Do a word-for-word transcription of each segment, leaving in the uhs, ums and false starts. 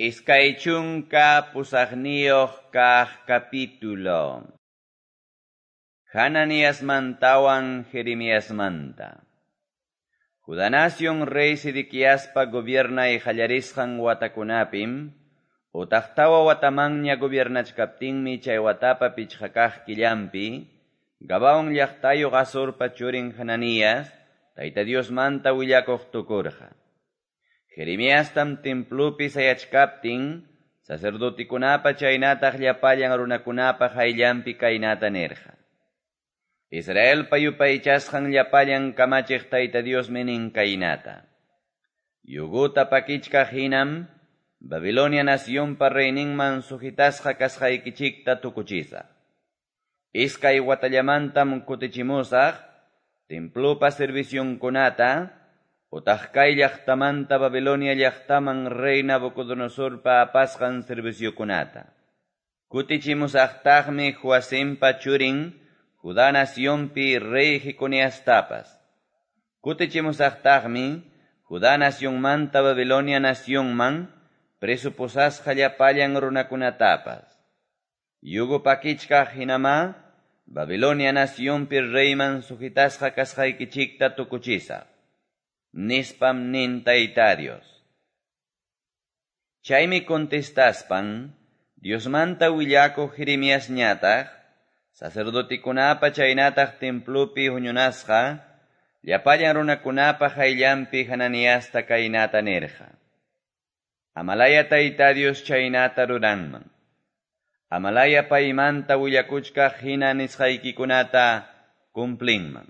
Iskay chunka pusaqniyuq kaq capítulo. Hananiasmantawan Jeremiasmanta. Judá nación rey Sedequiaspa gobiernay qallarisqan watakunapim, utaq tawa watamanña gobiernachkaptinmi chay watapa pichqa kaq killanpi, Gabaón llaqtayuq Azorpa churin Hananías, Tayta Diosmanta willakuq tukurqa. Jeremiastam templopi sayachkaptin, sacerdotikunapa chaynataq llapallan runakunapa qayllanpi kaynata nirqa. Israelpa yupaychasqan llapallan kamachiq Tayta Diosmi nin kaynata. Yuguta pakichkaq hinam, Babilonia nacionpa reyninman sujetasqa kasqaykichikta tukuchisaq. Iskay watallamantam kutichimusaq, templopa servicionkunata, utaq kay llaqtamanta Babilonia llaqtaman rey Nabucodonosorpa apasqan serviciokunata. Kutichimusaqtaqmi Joacimpa churin, Judá nacionpi rey Jeconiastapas. Kutichimusaqtaqmi Judá nacionmanta Babilonia nacionman preso pusasqa llapallan runakunatapas. Yugo pakichkaq hinamá Babilonia nacionpi reyman sujetasqa kasqaykichikta tukuchisaq. Nispam nin Tayta Dios. Chaymi contestaspan, Diosmanta willakuq Jeremiasñataq, sacerdotikunapa chaynataq templopi huñunasqa, llapallan runakunapa qayllanpi Hananiasta kaynata nirqa. Amalaya Tayta Dios chaynata ruranman. Amalaya paymanta willakuchkaq hina nisqaykikunata cumplinman.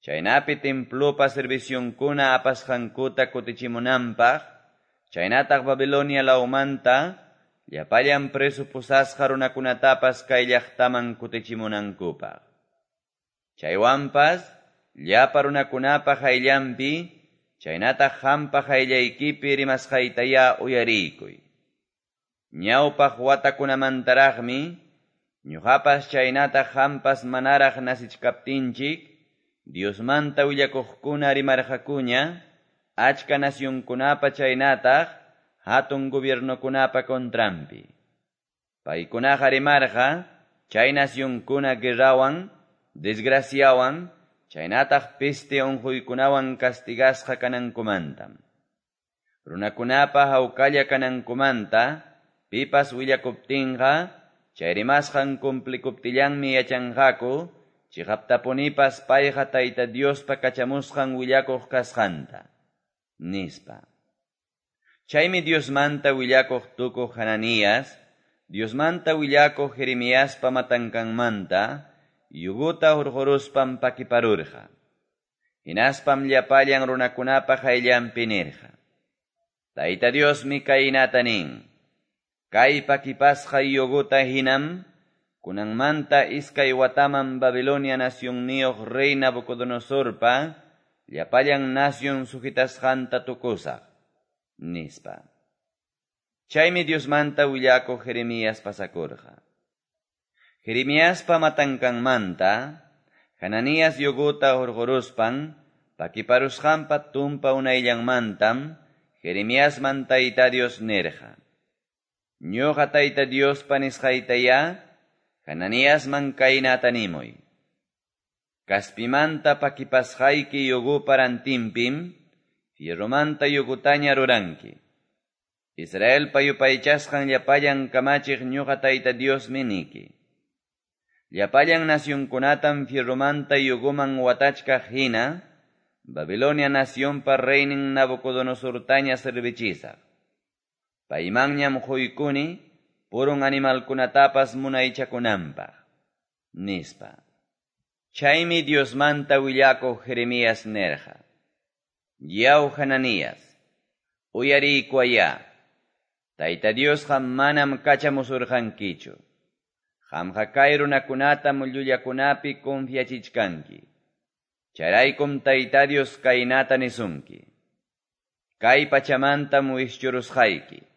Chaynapi templopa servicionkuna apasqankuta kutichimunanpaq, chaynataq Babilonia lawmanta, llapallan preso pusasqa runakunatapas kay llaqtaman kutichimunankupaq. Chaywanpas, llapa runakunapa qayllanpi, chaynataq qampa qayllaykipi rimasqaytaya uyariykuy. Ñawpaq watakunamantaraqmi, ñuqapas chaynataq qampas manaraq nasichkaptinchik, Diosmanta willakuqkuna rimarqakuña, achka nacionkunapa chaynataq, hatun gobiernokunapa contranpi. Paykunaqa rimarqa, chay nacionkuna guerrawan, desgraciawan, chaynataq peste unquykunawan castigasqa kanankumantam. Runakunapa hawkalla kanankumanta, pipas willakuptinqa, chay rimasqan cumplikuptillanmi yachanqaku, chiqaptapunipas payqa Tayta Diospa kachamusqan willakuq kasqanta, nispa. Chaymi Diosmanta willakuq tukuq Hananías, Diosmanta willakuq Jeremiaspa matankanmanta, yuguta hurquruspan pakiparurqa. Hinaspam llapallan runakunapa qayllanpi nirqa. Tayta Diosmi kaynata nin, kay pakipasqa yuguta hinam, kunanmanta iskay wataman Babilonia nacionniyuq rey Nabucodonosorpa, llapallan nacion sujetasqanta tukusaq, nispa. Chaymi Diosmanta willakuq Jeremías pasakurqa. Jeremiaspa matankanmanta, Hananías yuguta hurquruspan, pakiparusqanpa tumpa unayllanmantam, Jeremiasman Tayta Dios nirqa. Ñuqa Tayta Diospa nisqaytaya, Hananiasman kaynata nimuy. Kaspimanta pakipasqayki yugupa rantinpim, fierromanta yugutaña ruranki. Israelpa yupaychasqan llapallan kamachiq ñuqa Tayta Diosmi niki. Llapallan nacionkunatam fierromanta yuguman watachkaq hina, Babilonia nacionpa reynin Nabucodonosortaña servichisaq. Paymanñam quykuni, purun animalkunatapas munaychakunanpaq, nispa. Chaymi Diosmanta willakuq Jeremías nirqa. Yaw Hananías, uyariykuwaya, Tayta Diosqa manam kachamusurqankichu. Qamqa kay runakunatam llullakunapi confiachichkanki. Chayraykum Tayta Dios kaynata nisunki. Kay pachamantam wischurusqayki.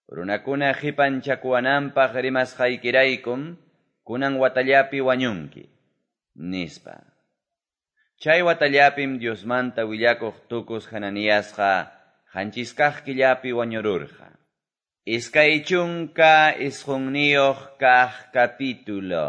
Runakuna qipanchakuwananpaq rimasqaykiraykum, kunan watallapi wañunki, nispa. Chay watallapim Diosmanta willakuq tukus Hananiasqa qanchis kaq killapi wañururqa. Iskay chunka isqunniyuq kaq capítulo.